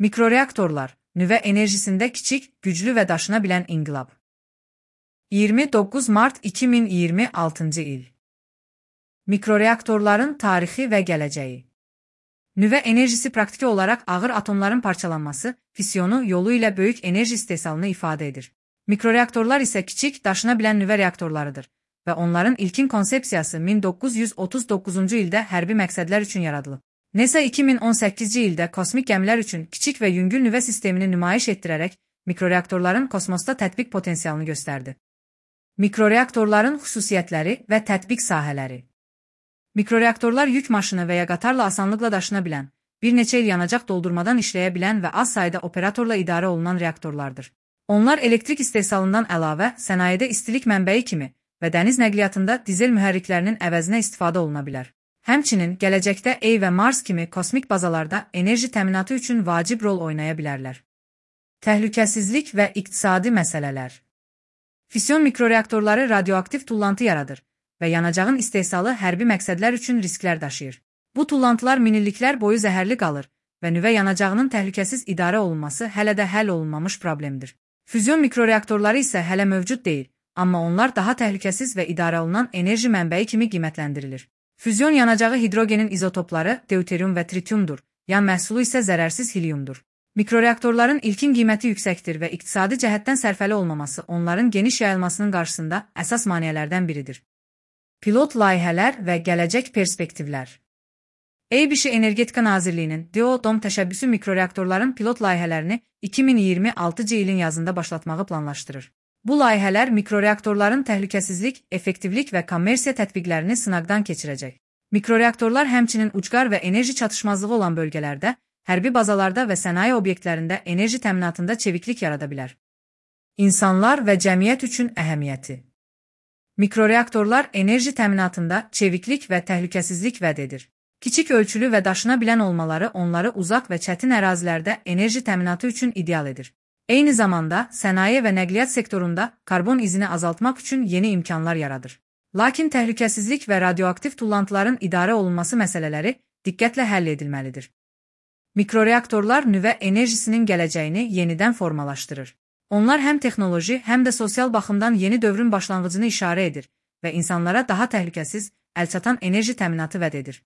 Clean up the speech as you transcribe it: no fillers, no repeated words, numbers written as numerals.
Mikroreaktorlar, nüvə enerjisində kiçik, güclü və daşına bilən inqilab. 29 Mart 2026 il. Mikroreaktorların tarixi və gələcəyi. Nüvə enerjisi praktiki olaraq ağır atomların parçalanması, fissiyonu yolu ilə böyük enerji istehsalını ifadə edir. Mikroreaktorlar isə kiçik, daşına bilən nüvə reaktorlarıdır və onların ilkin konsepsiyası 1939-cu ildə hərbi məqsədlər üçün yaradılıb. NASA 2018-ci ildə kosmik gəmilər üçün kiçik və yüngül nüvə sistemini nümayiş etdirərək mikroreaktorların kosmosda tətbiq potensialını göstərdi. Mikroreaktorların xüsusiyyətləri və tətbiq sahələri. Mikroreaktorlar yük maşını və ya qatarla asanlıqla daşına bilən, bir neçə il yanacaq doldurmadan işləyə bilən və az sayda operatorla idarə olunan reaktorlardır. Onlar elektrik istehsalından əlavə sənayedə istilik mənbəyi kimi və dəniz nəqliyyatında dizel mühərriklərinin əvəzinə istifadə oluna bilər. Həmçinin gələcəkdə Ey və Mars kimi kosmik bazalarda enerji təminatı üçün vacib rol oynaya bilərlər. Təhlükəsizlik və iqtisadi məsələlər. Fission mikroreaktorları radioaktiv tullantı yaradır və yanacağın istehsalı hərbi məqsədlər üçün risklər daşıyır. Bu tullantılar minilliklər boyu zəhərli qalır və nüvə yanacağının təhlükəsiz idarə olunması hələ də həll olunmamış problemdir. Füzyon mikroreaktorları isə hələ mövcud deyil, amma onlar daha təhlükəsiz və idarə olunan enerji mənbəyi kimi qiymətləndirilir. Füzyon yanacağı hidrogenin izotopları deuterium və tritiumdur, yan məhsulu isə zərərsiz heliumdur. Mikroreaktorların ilkin qiyməti yüksəkdir və iqtisadi cəhətdən sərfəli olmaması onların geniş yayılmasının qarşısında əsas maneələrdən biridir. Pilot layihələr və gələcək perspektivlər. EBŞ Energetika Nazirliyinin DODOM təşəbbüsü mikroreaktorların pilot layihələrini 2026-cı ilin yazında başlatmağı planlaşdırır. Bu layihələr mikroreaktorların təhlükəsizlik, effektivlik və kommersiya tətbiqlərini sınaqdan keçirəcək. Mikroreaktorlar həmçinin ucqar və enerji çatışmazlığı olan bölgələrdə, hərbi bazalarda və sənaye obyektlərində enerji təminatında çeviklik yarada bilər. İnsanlar və cəmiyyət üçün əhəmiyyəti. Mikroreaktorlar enerji təminatında çeviklik və təhlükəsizlik vəd edir. Kiçik ölçülü və daşına bilən olmaları onları uzaq və çətin ərazilərdə enerji təminatı üçün ideal edir. Eyni zamanda sənaye və nəqliyyat sektorunda karbon izini azaltmaq üçün yeni imkanlar yaradır. Lakin təhlükəsizlik və radioaktiv tullantıların idarə olunması məsələləri diqqətlə həll edilməlidir. Mikroreaktorlar nüvə enerjisinin gələcəyini yenidən formalaşdırır. Onlar həm texnoloji, həm də sosial baxımdan yeni dövrün başlanğıcını işarə edir və insanlara daha təhlükəsiz, əlçatan enerji təminatı vəd edir.